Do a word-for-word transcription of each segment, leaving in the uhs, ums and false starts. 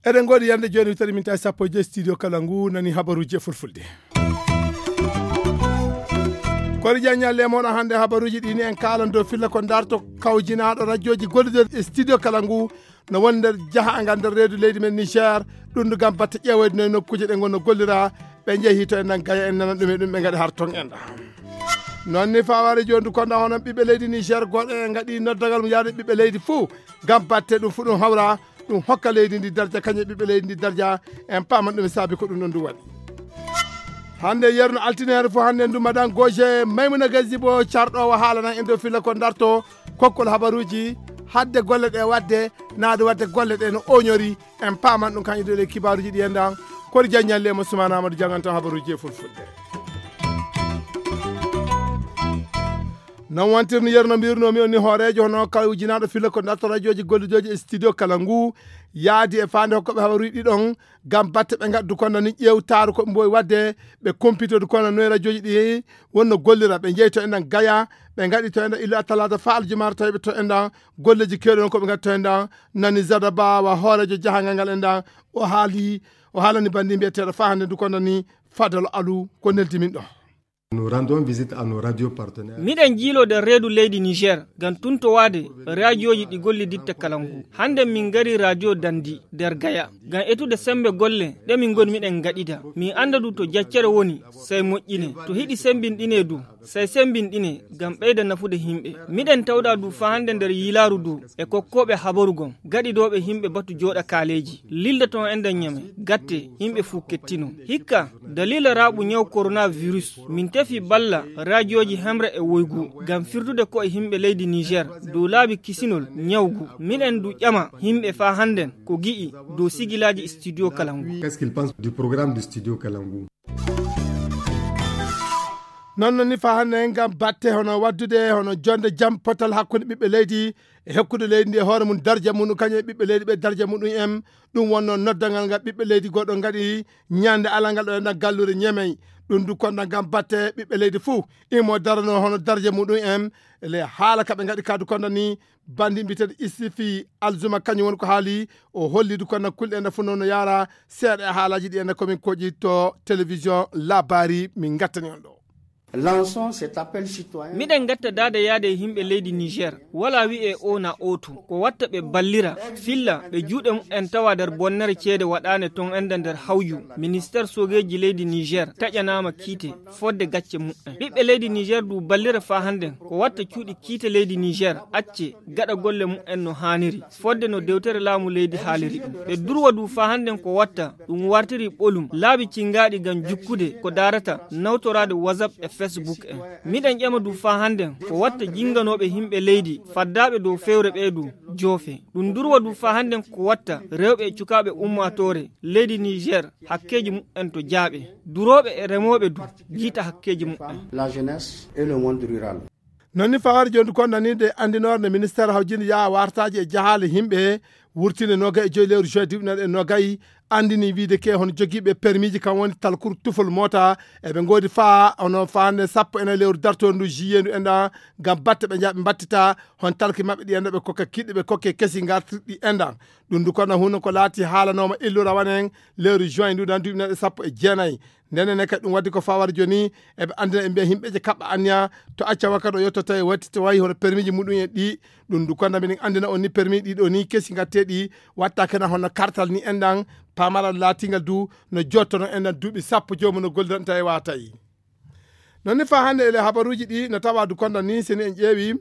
Eɗen ngoodi yande jooni witari min tawi sappo e joyi studio kala ngu nani habaruuji e fulfulde. Kori jaññal lemoɗo hannde habaruuji ɗi ni en kaalan dow filla ko darto kawjinaaɗo rajooji gollidiiɗo e studio kala ngu no woni nder jahaangal nder reedu leydi men Niger. Ɗum ndu gam batte ƴeewoyde no nokkuuje ɗe ngonno gollira, ɓe njehi to en nan gaya en nana ɗum e ɗum ɓe ngaɗi har ton en ɗa. Noon ni faware jooni ndu konda hono ɓiɓɓe leydi Niger goɗo en ngaɗi noddagal mo yaade ɓiɓɓe leydi fuu gam batte ɗum fu ɗum hawra, ɗum hokka leydi ndi darja kañum e ɓiɓɓe leydi ndi darja. En paaman ɗum e saabi ko ɗum ɗon ndu waɗi. Hannde yerno altinere fof hannde ndu madan goje maymuna gazibo carɗowo haalanan en dow filla ko darto kokkol habaruuji hadde golle ɗe waɗde naade waɗde golle ɗe no oñori. En paaman ɗum kañum dow e kibaaruuji ɗi en ɗan kori jaññalle mo sumana amadou jangantan habaruuji e fulfulde. Non wantirno yerno mbirnomi on ni hooreejo hono kala ujinaaɗo filla ko darto rajooji gollidooji e studio kala ngu yaadi e faande hokkoɓe habaruuji ɗiɗon gam batte ɓe ngaddu konda ni ƴeewtaaru ko ɓe mbowi waɗde. Ɓe kompitodu konda noye rajooji ɗi wonno gollira ɓe njeyi to enɗan gaya ɓe ngaɗi to enɗan illa talata fa aljumaara tawi ɓe to enɗan golleji kewɗi on ko ɓe ngaɗi to enɗan. Nani zada bawa hooreejo jahangal ngal enɗan o haali o haalani bandi mbiyeteeɗo fa hannde ndu konda ni fadal alu ko neldi min ɗo. Nous rendons visite à nos radios partenaires. Miɗen jiiloo nder reedu leydi Niger ngam tuntowaade raajooji ɗi golliditta kala ngu. Hannde min ngari raajoo Dandi nder Gaya ngam etude semmbe golle ɗe min ngoni miɗen ngaɗida. Min annda du to jaccere woni, sey moƴƴine. To hiɗi semmbinɗinee du, sey semmbinɗinee ngam ɓeyda nafude yimɓe. Miɗen tawɗa du faa hannde nder yiilaaru du e kokkooɓe habaru gom, gaɗidooɓe yimɓe batu jooɗa kaaleeji. Lilda toon enɗan Ñamey, gatte, yimɓe fuu kettino. Hikka, daliila raaɓu ñaw koronavirus, min tefi balla raajooji hemre e woygu ngam firtude ko'e yimɓe leydi Niger dow laabi kisinol ñaw ngu. Miɗen du ƴama yimɓe faa hannden ko gi'i dow sigilaaji studio kala ngu. Qu'est-ce qu'il pense du programme du studio kala ngu? Non non ni faa hannde ngam batte hono waɗdude hono jonde jam potal hakkunde ɓiɓɓe leydi e hokkude leydi ndi e hoore mum darja mum kañum e ɓiɓɓe leydi ɓe darja muɗum en. Ɗum wonno noddangal ngal ɓiɓɓe leydi goɗɗo ngaɗi ñande alangal ɗo enɗan gallure Ñamey. Ɗum du konda ngam batte ɓiɓɓe leydi fuu imo darano hono darja muɗum en ele haala ka ɓe ngaɗi ka du konda ni. Bandi mbiyeteeɗo Isifi Alzuma kañum woni ko haali. O holli du konda kulɗe enɗan fuu noon no yaara seeɗa e haalaaji ɗi enɗan komin koƴi to télévision labari min ngattani on ɗo. Lançons cet appel citoyen. Miɗen ngatta daade yaade e yimɓe leydi Niger. Wala wi'e o na oto. Ko watta ɓe ballira, filla, ɓe juuɗe mumen tawa nder bonnere ceede waɗaane ton enda nder hawju, ministeer soogeeji leydi Niger taƴanaama kiite, fodde gacce mumen. Ɓiɓɓe leydi Niger du ballira faa hannden, ko watta cuuɗi kiite leydi Niger, acce, gaɗa golle mumen no haaniri, fodde no dewtere laamu leydi haaliri ɗum. Ɓe durwa du faa hannden ko watta, ɗum wartiri ɓolum, laabi cingaaɗi ngam jukkude ko daarata, nawtoraade WhatsApp e Facebook en. Miɗen ƴama du faa hannden, ko watta jinganooɓe yimɓe leydi, faddaaɓe dow fewre ɓee du, joofe. Ɗum durwa du faa hannden ko watta, rewɓe e cukaaɓe ummaatoore, leydi Niger, hakkeeji mumen to jaaɓe. Durooɓe e remooɓe du, jiita hakkeeji mumen. La jeunesse et le monde rural. Non ni fawar jooni du konda ni nde anndinoore nde ministeer hawjinde yaha wartaaji e jahaale yimɓe wurtinde nogay e joyi lewru juin diwɗinal e nogay anndini wiide ke hono jogiiɓe permiiji kam woni talkuru tufol moota. Eɓe ngoodi faa hono faande sappo e nayi lewru dartoondu juillet ndu enɗan ngam batte ɓe njaha ɓe mbattita hon talki maɓɓe ɗi enɗan ɓe kokka kiɗɗe ɓe kokke kesi ngartirɗi enɗan. Ɗum du kono huno ko laati haalanooma illura wanen lewru juin ndu ɗan duuɓi naɗe sappo e jeenayi. Ndenen ne kadi ɗum waddi ko fawar jooni eɓe anndina ɓe mbiya yimɓe je kaɓɓa anniya to acca wakkati o yetto tawi watti to wayi hono permiiji muɗum en ɗi. Ɗum du kono minen anndina on ni permis ɗi ɗo ni kesi ngatteɗi watta kena hono kartal ni enɗan pamaral laatingal du no jottono enɗan duuɓi sappo joomum no gollidan tawi watayi. Non ni faa hannde ele habaruuji ɗi no tawa du konda ni seni en ƴeewi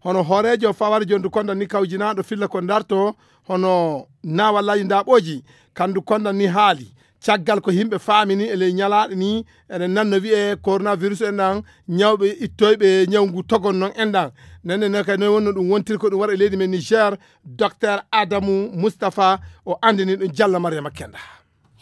hono hooreejo fawar jondu konda ni kawjinaaɗo filla ko darto hono naawallaaji ndaaɓooji kandu konda ni haali caggal ko yimɓe faamini e ley ñalaaɗe ni eɗen nanno wiyee coronavirus en ɗan ñawɓe ittoyɓe ñaw ngu togon non en ɗan. Nenne ne kay noy wonno ɗum wontiri ko ɗum waɗa e leydi men Niger. Docteur Adamu Mustapha o anndini ɗum jalla Mariama Kenda.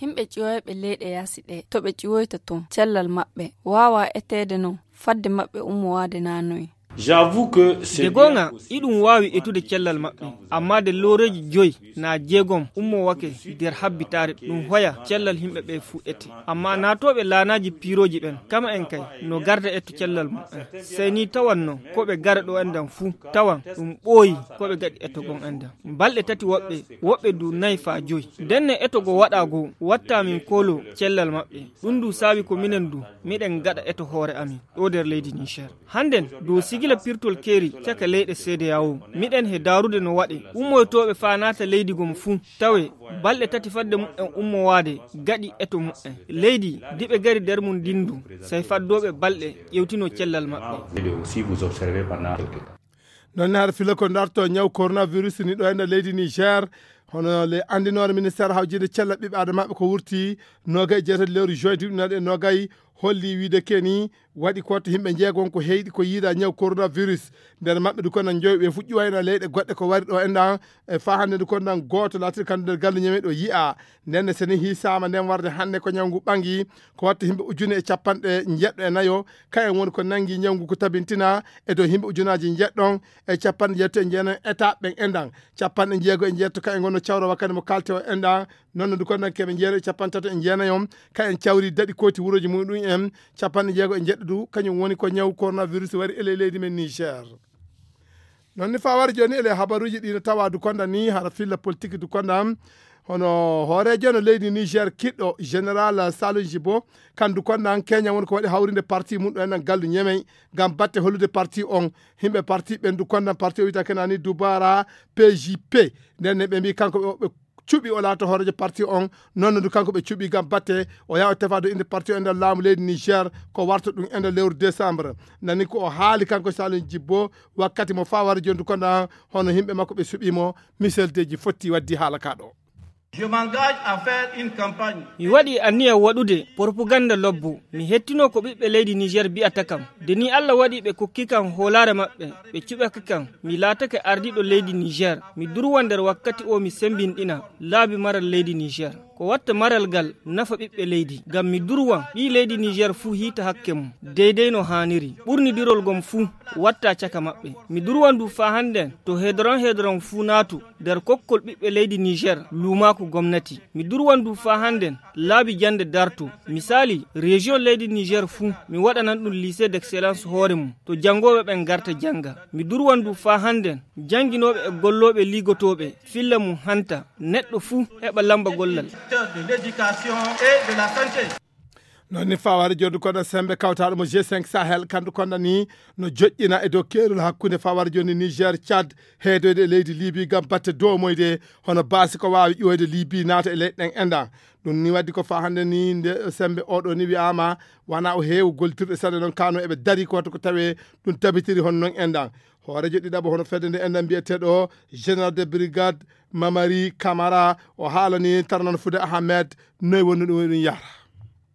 Yimɓe ƴiwoyɓe leyɗe yaasi ɗe to ɓe ƴiwoyta toon cellal maɓɓe waawaa eteede noon fadde maɓɓe ummowaade naanoye. De goonga, iɗum waawi etude cellal maɓɓe, ammaa de looreeji joyi naa jeegom ummoowake nder habbitaare, ɗum hoya cellal yimɓe ɓe fuu ete. Ammaa naatooɓe laanaaji piirooji ɓen, kama en kay, no garda eto cellal mum en. Sey ni tawan no ko ɓe gara ɗo enɗan fuu, tawan ɗum ɓooyi ko ɓe gaɗi eto gon enɗan. Balɗe tati woɓɓe, woɓɓe du nayi faa joyi. Ndenne eto go waɗaa goo, wattaa min kooloo cellal maɓɓe. Ɗum du saabi ko minen du, miɗen gaɗa eto hoore amin, ɗo nder leydi Niger. Hannden, dow sigila pirtol keeri caka leyɗe C D A O, miɗen he daarude no waɗe. Ummoytooɓe faa naata leydi gom fuu, tawe balɗe tati fadde muɓɓen ummowaade, gaɗi eto muɓɓen. Leydi, diɓe gari nder mum ndin du, sey faddooɓe balɗe ƴewtino cellal maɓɓe. Non ne hara fila ko darto ñaw coronavirus ni ɗo enda leydi Niger. Hono le andinoore ministère hawjinde cella ɓiɓɓe adama maɓɓe ko wurti nogay jeetati lewru juin duuɓi naɗe nogay holli wiide keni waɗi ko to yimɓe jeegon ko heyɗi ko yiida ñaw coronavirus. Nder maɓɓe du kono joyi ɓe fuɗɗi wayna leyɗe goɗɗe ko wari ɗo enɗan e fa hannde du kono gooto laatiri kan nder galle ñame ɗo yi'a. Nden ne seni hiisaama nden warde hannde ko ñaw ngu ɓangi ko watta yimɓe ujune e capanɗe njeɗɗo e nayo. Kayen woni ko nangi ñaw ngu ko tabintina e dow yimɓe ujunaaji njeɗɗon e capanɗe njeetati e jeenayi état ɓen enɗan. Capanɗe jeego e njeetto kayen ngonno cawra wakkati mo kalte o enɗan. Noon no du kono keɓe jeeɗo e capanɗe tato e jeenayi on kayen cawri daɗi kooti wurooji muɗum en. Capanɗe jeego e njeɗɗo du kañum woni ko ñaw coronavirus wari e ley leydi men Niger. Noon ni faa wari jooni ele habaruuji ɗi no tawa du konda ni hara filla politique du konda. Hono hooreejo no leydi Niger kiɗɗo général Salon Jibo, kan du konda keña woni ko waɗi hawrinde parti mum ɗo enen gallu ñemey ngam batte hollude parti on. Yimɓe parti ɓen du konda parti o wiyta kenani dubara P J P. Nden ne ɓe mbi kanko ɓe cuɓi o laata hooreejo parti on. Noon no du kanko ɓe cuɓi ngam batte o yaha o tefa du inde parti o e nder laamu leydi Niger ko warta ɗum e nder lewru décembre. Nani ko o haali kanko Salon Jibbo wakkati mo faa wari jondu kono hono yimɓe makko ɓe suɓii mo. Michel Deji fotti waddi haala ka ɗo. Je m'engage à faire une campagne. Mi waɗi anniya waɗude propaganda lobbo. Mi hettino ko ɓiɓɓe leydi Niger mbi'ata kam. De ni Allah waɗi ɓe kokki kam hoolaare maɓɓe, ɓe cuɓake kam. Mi laatake ardiiɗo leydi Niger. Mi durwa nder wakkati o mi sembinɗina laabi maral leydi Niger. Ko watta maral gal nafa ɓiɓɓe leydi. Ngam mi durwa ɓii leydi Niger fuu hiita hakke mum, deydey no haaniri. Ɓurnidirol gom fuu watta caka maɓɓe. Mi durwa ndu faa hannden to hedron hedron fuu naatu nder kokkol ɓiɓɓe leydi Niger luumaaku gomnati. Mi durwan du faa hannden laabi jannde darto. Misaali, région leydi Niger fuu, mi waɗanan ɗum lycée d'excellence hoore mum, to janngooɓe ɓen ngarta jannga. Mi durwan du faa hannden jannginooɓe e gollooɓe liigotooɓe filla mum hanta, neɗɗo fuu heɓa lamba gollal. Secteur de l'éducation et de la santé. Noon ni fawaade joddu kono sembe kawtaaɗo mo G cinq Sahel kandu konda ni no joƴƴina e dow keerol hakkunde fawaade joni Niger, Tchad, heedoyde e leydi Libi ngam batte domoyde hono baasi ko waawi ƴoyde Libi naata e leyɗe ɗen enɗan. Ɗum ni waddi ko faa hannde ni nde sembe oɗo ni wi'aama wana o heewu gollitirɗe sanne noon kano eɓe dari ko watta ko tawe ɗum tabitiri hono noon enɗan. Hooreejo ɗiɗaɓo hono fedde nde enɗan mbiyeteeɗo général de brigade Mamari Camara o haalani Tarnan Fude Ahmed noy woni ɗum ɗum yahra.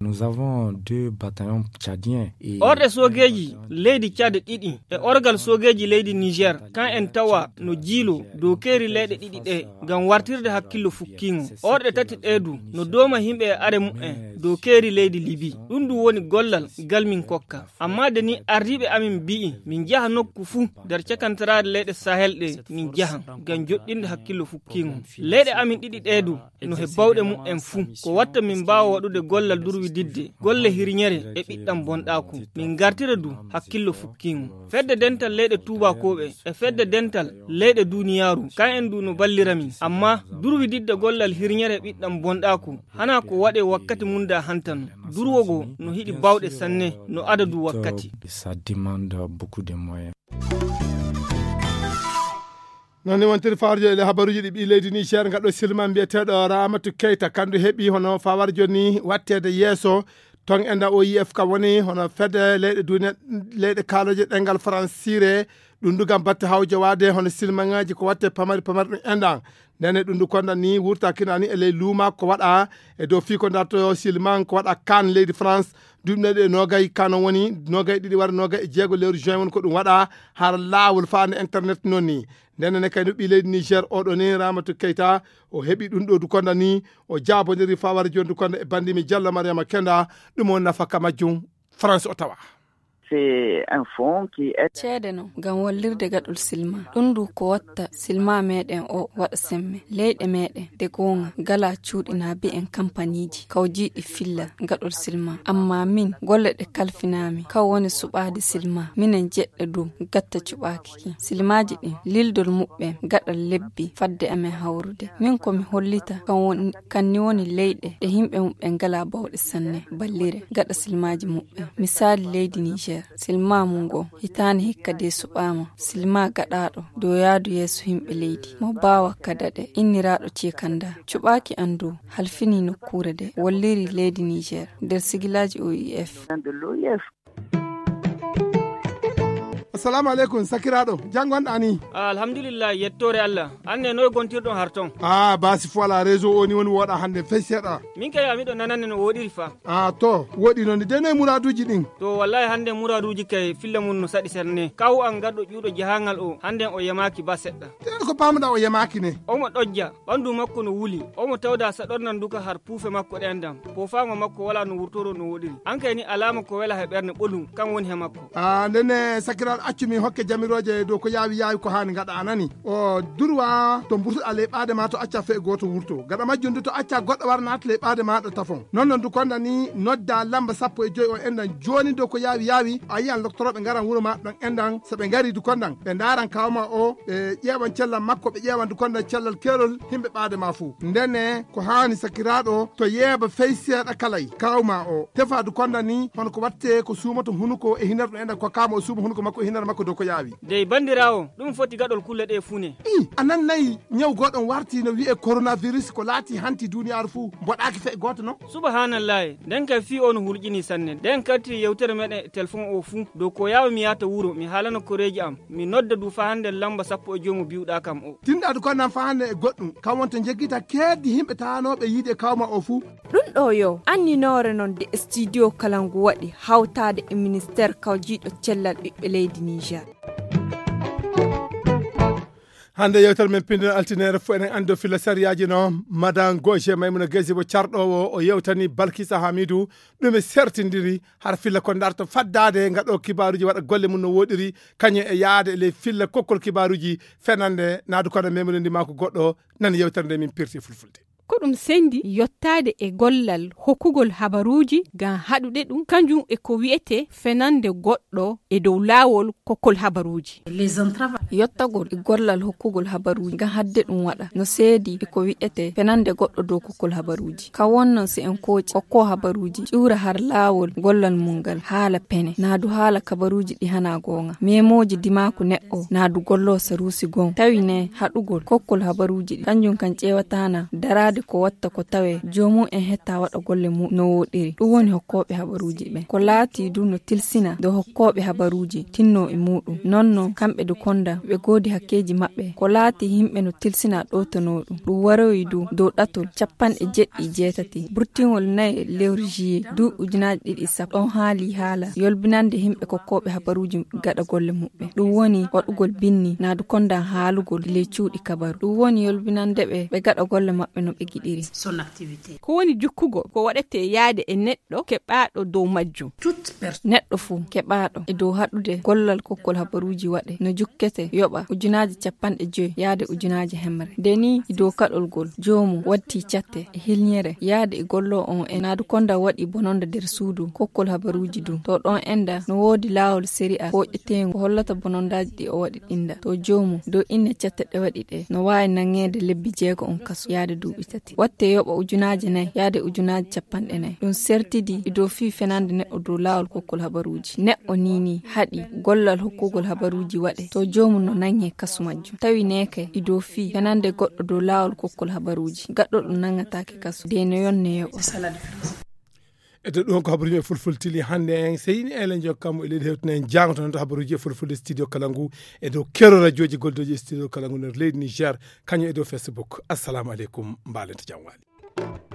Nous avons deux bataillons tchadiens et orɗe soogeeji leydi Tchad ɗiɗi e orgal soogeeji leydi Niger, kan en tawa no jiilo dow keeri leyɗe ɗiɗi ɗe ngam wartirde hakkillo fukkiingo. Orɗe tati ɗe du no dooma yimɓe e are mumen dow keeri leydi Libi. Ɗum du woni gollal ngal min kokka. Amma de ni ardiiɓe amin mbi'i min njaha nokku fuu nder cakantaraade leyɗe Sahel ɗe min njahan ngam joɗɗinde hakkillo fukkiingo. Leyɗe amin ɗiɗi ɗe du no he bawɗe mumen fuu. Ko watta min mbaawa waɗude gollal durwididde golle hirñere e ɓiɗɗam bonɗaaku. Min ngartira du hakkillo fukkiingo. Fedde dental leyɗe tuubakooɓe e fedde dental leyɗe duniyaaru, kan en du no ballira min. Amma durwididde gollal hirñere e ɓiɗɗam bonɗaaku, hana ko waɗe wakkati mum da hantano. Durwogo no hiɗi bawɗe sanne, no adadu wakkati. Ça demande beaucoup de moyens. Noon ni wontiri fawarjo e habaruuji ɗi ɓii leydi Niger ngaɗo silman mbiyeteeɗo Ramatu Keita kandu heɓi hono fawarjo ni watteede yeeso. Ton enda O I F ka woni hono fedde leyɗe duniya leyɗe kaaloje ɗengal faransiire. Ɗum du gam batte hawjowaade hono silmaŋaaji ko watte pamari pamari ɗum enɗan. Ndene ɗum du konda ni wurta kinani e ley luuma ko waɗa e dow fii ko darto silman ko waɗa kan leydi France. Duuɓi ɗe nogay kano woni nogay ɗiɗi wara nogay e jeego lewru juin woni ko ɗum waɗa har laawol faande internet noon ni. Ndene ne kay no ɓii leydi Niger oɗo ni Ramatu Keita o heɓi ɗum ɗo du konda ni o jaabodiri fawara joni du konda e bandimi Diallo Mariama Kenda. Ɗum o nafa ka majjum France o tawa. C'est un fonds qui aide. Ceede non ngam wallirde gaɗol silma. Ɗum ndu ko watta silma meɗen o waɗa semme. Leyɗe meɗen de goonga ngala cuuɗi na bi'en kampaniji kawjiiɗi filla gaɗol silma. Amma min golle ɗe kalfinami kaw woni suɓaade silma. Minen jeɗɗa dow gatta cuɓaaki ki. Silmaji ɗin lildol muɓɓen gaɗal lebbi fadde amen hawrude. Min ko mi hollita kan woni, kan ni woni leyɗe ɗe yimɓe muɓɓen ngala bawɗe sanne ballire gaɗa silmaji muɓɓen. Misali leydi Niger, silma mum ngo hitaande hikka de suɓaama. Silma gaɗaaɗo dow yaadu yeeso yimɓe leydi mo baawa ka daɗe inniraaɗo Cekanda. Cuɓaaki an dow halfini nokkuure de walliri leydi Niger nder sigilaaji O I F. Assalamu aleykum sakiraaɗo, janngonɗa ni? Ah, alhamdulillah, yettoore Allah. An ne noy gontirɗon har ton? Ah, basi fu ala réseau o ni woni woɗa hannde fey seeɗa. Min kay a miɗo nanande no woɗiri fa. Ah, to woɗi noon de noy muraaduuji ɗin? To wallahi hannde muraaduuji kay filla mum no saɗi serne. Kawu an garɗo ƴuuɗo jahangal o hannden o yamaaki ba seɗɗa. Te ko paamɗa o yamaaki ne? Omo ɗojja, ɓanndu makko no wuli. Omo tawda saɗornan duka har puufe makko ɗen dam. Poofaango makko wala no wurtoro no woɗiri. An kay ni alaama ko wela he ɓernde ɓolum kan woni he makko. Ah, ndenne sakiraaɗo accu min hokke jamirooje dow ko yaawi yaawi ko haani ngaɗa a nani. O durwa to mburtuɗa ley ɓaade ma to acca fee gooto wurto. Gaɗa majjum du to acca goɗɗo wara naata ley ɓaade ma ɗo tafon. Non non du konda ni nodda lamba sappo e joy o endan jooni dow ko yaawi yaawi. A yiyan loktorooɓe ngaran wuro ma ɗon endan so ɓe ngari du kondan ɓe ndaaran kawma o ɓe ƴeewan cellal makko ɓe ƴeewan du kondan cellal keerol himɓe ɓaade ma fuu. Ndenne ko haani sakiraaɗo to yeeba fey seeɗa kalay kawma o tefa du kondan ni hono ko watte ko suumoto hunuko e hinar ɗum endan ko kama o suuma hunuko makko e hinar makko dow ko yaawi. Dey banndiraawo, ɗum foti gaɗol kulle ɗe fuu ne. I, a nannayi ñaw goɗon warti no wi'e coronavirus ko laati hanti duniyaaru fuu mboɗaaki fe gooto non? Subahanallahi, nden kay fii o no hulƴini sanne. Nden karti yewtere meɗen e telefon o fuu. Dow ko yaawa mi yaata wuro, mi haalana koreeji am. Mi nodda du faa hannde lamba sappo e joy mo biwɗaa kam o. Tinɗaadu ko nan faa hannde e goɗɗum. Kam wonta njeggita keeddi himɓe taanooɓe yiide kawma o fuu. Ɗum ɗo yo anninoore non de studio kala ngu waɗi hawtaade e ministeer kawjiiɗo cellal ɓiɓɓe leydi Niger. Hannde yewtere men pinndon altineere fof enen anndi o filla sariyaaji no madan goje maymuna gaysi mo carɗoowo o yewtani balkisa hamidu ɗum e sertindiri har filla ko darto faddaade ngaɗo kibaaruji waɗa golle mum no woɗiri kañum e yaade e ley filla kokkol kibaaruji fenande naadu kono memunondi ma ko goɗɗo nani yewtere nde min pirti fulfulde. Ko ɗum sendi yottaade e gollal hokkugol habaruuji ngam haɗude ɗum kanjum e ko wi'etee fenande goɗɗo e dow laawol kokkol habaruuji. Yottagol e gollal hokkugol habaruuji ngam haɗde ɗum waɗa no seedi e ko wi'etee fenande goɗɗo dow kokkol habaruuji. Ka wonno si en kooci kokkoo habaruuji ƴuura har laawol gollal mum ngal haala pene naa du haala kabaruuji ɗi hanaa goonga memooji dimaaku neɗɗo naa du golloo saruusi goo tawi ne haɗugol kokkol habaruuji ɗi kanjum kan ƴeewataana daraade ko watta ko tawee joomum en hetta waɗa golle mum no woɗiri ɗum woni hokkooɓe habaruuji ɓen ko laatii du no tilsina dow hokkooɓe habaruuji tinnoo e muuɗum nonno kamɓe du konda ɓe goodi hakkeeji maɓɓe ko laatii yimɓe no tilsina ɗowtanoo ɗum ɗum waroyi du dow ɗatol capanɗe jeɗɗi e jeetati burtingol nayi lewru juillet duuɓi ujunaaji ɗiɗi e sappo ɗon haali haala yolbinande yimɓe kokkooɓe habaruuji gaɗa golle muɓɓen ɗum woni waɗugol binni naa du kondan haalugol ley cuuɗi kabaru ɗum woni yolbinande ɓe ɓe gaɗa golle maɓɓe no ɓe giɗiri. Ko woni jukkugol ko waɗetee yaade e neɗɗo keɓaaɗo dow majjum. Neɗɗo fuu keɓaaɗo e dow haɗude gollal kokkol habaruuji waɗe no jukkete yoɓa ujunaaji capanɗe joy yaade ujunaaji hemre nde ni e dow kaɗol gol joomum watti catte e hilñere yaade e golloo on e naadu konda waɗi bononda nder suudu kokkol habaruuji du to ɗon enda no woodi laawol sariya hooƴeteengu ko hollata bonondaaji ɗi o waɗi ɗinda to joomum dow inne catte ɗe waɗi ɗe no waawi naŋeede lebbi jeego on kaso yaade duuɓi tati watte yoɓa ujunaaji nayi yaade ujunaaji capanɗe nayi ɗum sertidi e dow fii fenande neɗɗo dow laawol kokkol habaruuji neɗɗo nii nii haɗi gollal hokkugol habaruuji waɗe to joomum no naŋee kasu majjum tawi neeke e dow fii fenande goɗɗo dow laawol kokkol habaruuji gaɗɗo ɗum naŋataake kasu de no yonne yoɓa. E dow ɗum ko habaruuji men fulfultili hannde en seyni elen jokkamo e leydi hewtana en jaangoto noon to habaruuji e fulfulde studio kala ngu e dow kero radiooji goldoji e studio kala ngu nder leydi Niger kañum e dow Facebook. Assalamu aleykum mbaalente jam waali.